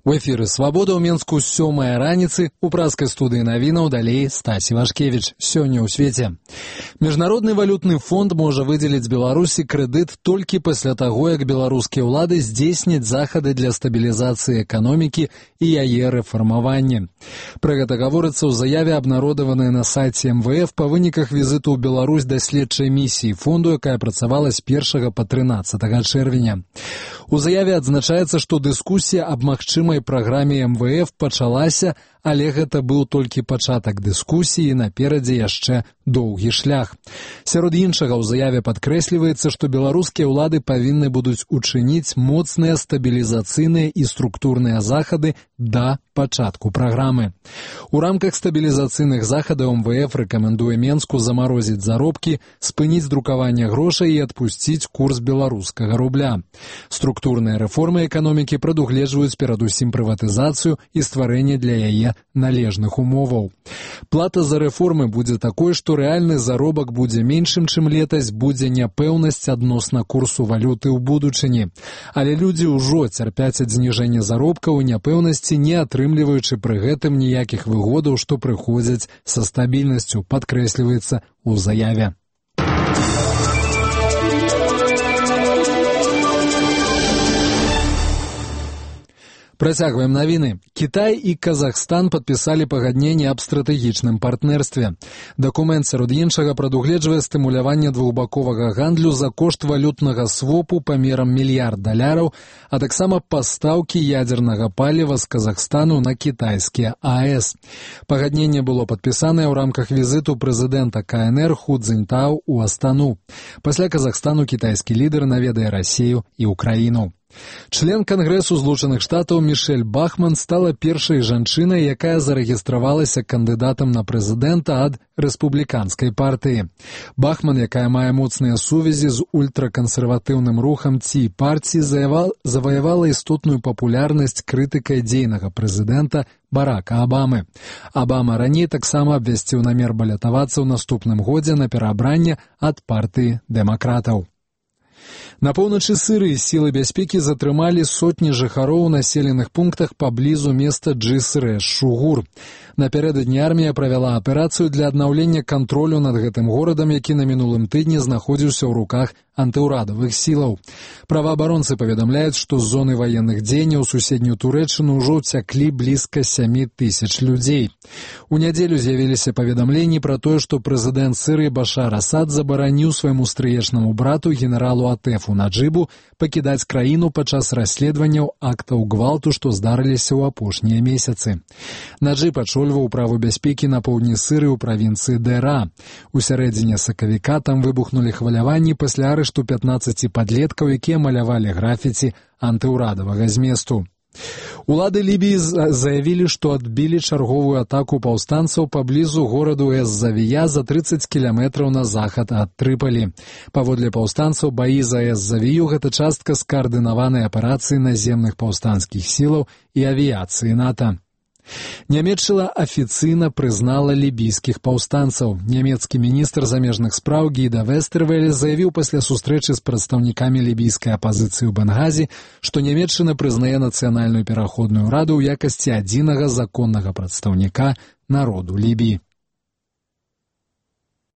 У эфіры «Свабода» ў Менску 7 раніцы, у праскай студыі навінаў далей Стась Івашкевіч. Сёння ў свеце. Міжнародны валютны фонд можа выдзеліць Беларусі крэдыт толькі пасля таго, як беларускія ўлады здзейсняць захады для стабілізацыі эканомікі і яе рэфармавання. Пра гэта гаворыцца ў заяве, абнародаванай на сайце МВФ па выніках візіту ў Беларусь даследчай місіі фонду, якая працавала з 1 па 13 чэрвеня. У заяве адзначаецца, што дыскусія аб магчымай праграме МВФ пачалася, але гэта быў толькі пачатак дыскусіі, наперадзе яшчэ доўгі шлях. Сярод іншага ў заяве падкрэсліваецца, што беларускія ўлады павінны будуць учыніць моцныя стабілізацыйныя і структурныя захады да пачатку праграмы. У рамках стабілізацыйных захадаў МВФ рэкамендуе Менску замарозіць заробкі, спыніць друкаванне грошай і адпусціць курс беларускага рубля. Структурныя рэформы эканомікі прадугледжваюць перадусім прыватызацыю і стварэнне для яе належных умоваў. Плата за рэформы будзе такой, што рэальны заробак будзе меншым, чым летась, будзе няпэўнасць адносна курсу валюты ў будучыні. Але людзі ўжо цярпяць ад зніжэння заробкаў і няпэўнасці, не атрымліваючы пры гэтым ніякіх выгодаў, што прыходзяць са стабільнасцю, падкрэсліваецца ў заяве. Працягваем навіны. Кітай і Казахстан падпісалі пагадненне аб стратэгічным партнерстве. Дакумент, сярод іншага, прадугледжвае стымуляванне двухбаковага гандлю за кошт валютнага свопу памерам $1 мільярд, а таксама пастаўкі ядзернага паліва з Казахстану на кітайскія АЭС. Пагадненне было падпісанае ў рамках візіту прэзідэнта КНР Ху Цзіньтао ў Астану. Пасля Казахстану кітайскі лідар наведае Расію і Украіну. Член Кангрэсу Злучаных Штатаў Мішэль Бахман стала першай жанчынай, якая зарэгістравалася кандыдатам на прэзідэнта ад рэспубліканскай партыі. Бахман, якая мае моцныя сувязі з ультракансерватыўным рухам Ці партіі, заваявала істотную папулярнасць крытыкай дзейнага прэзідэнта Барака Абамы. Абама раней таксама абвясціў намер балятавацца ў наступным годзе на пераабранне ад партыі дэмакратаў. На поўначы Сірыі сілы бяспекі затрымалі сотні жыхароў у населеных пунктах паблізу места Джиср-эш-Шугур. Напярэдадні армія правяла аперацыю для аднаўлення кантролю над гэтым горадам, які на мінулым тыдні знаходзіўся ў руках антыўрадавых сілаў. Праваабаронцы паведамляюць, што з зоны ваенных дзеянняў у суседнюю Турэччыну ўжо ўцяклі блізка 7,000 людзей. У нядзелю з'явіліся паведамленні пра тое, што прэзідэнт Сірыі Башар Асад забараніў свайму стрыечнаму брату генералу Атэфу Наджыбу пакідаць краіну падчас расследаванняў актаў гвалту, што здарыліся ў апошнія месяцы. Наджыб ачольваў праву бяспекі на поўдні Сірыі ў правінцыі Дэра. У сярэдзіне сакавіка там выбухнулі хваляванні пасля арышту 15 падлеткаў, якія малявалі графіці антыўрадавага зместу. Улады Лібіі заявілі, што адбілі чарговую атаку паўстанцаў паблізу гораду Эс-Завія за 30 кіламетраў на захад ад Трыпалі. Паводле паўстанцаў, баі за Эс-Завію – гэта частка скаардынаванай аперацыі наземных паўстанцкіх сілаў і авіяцыі НАТО. Нямецчына афіцыйна прызнала лібійскіх паўстанцаў. Нямецкі міністр замежных спраў Гіда Вестэрвэле заявіў пасля сустрэчы з прадстаўнікамі лібійскай апазіцыі ў Бенгазі, што Нямецчына прызнае нацыянальную пераходную раду ў якасці адзінага законнага прадстаўніка народу Лібіі.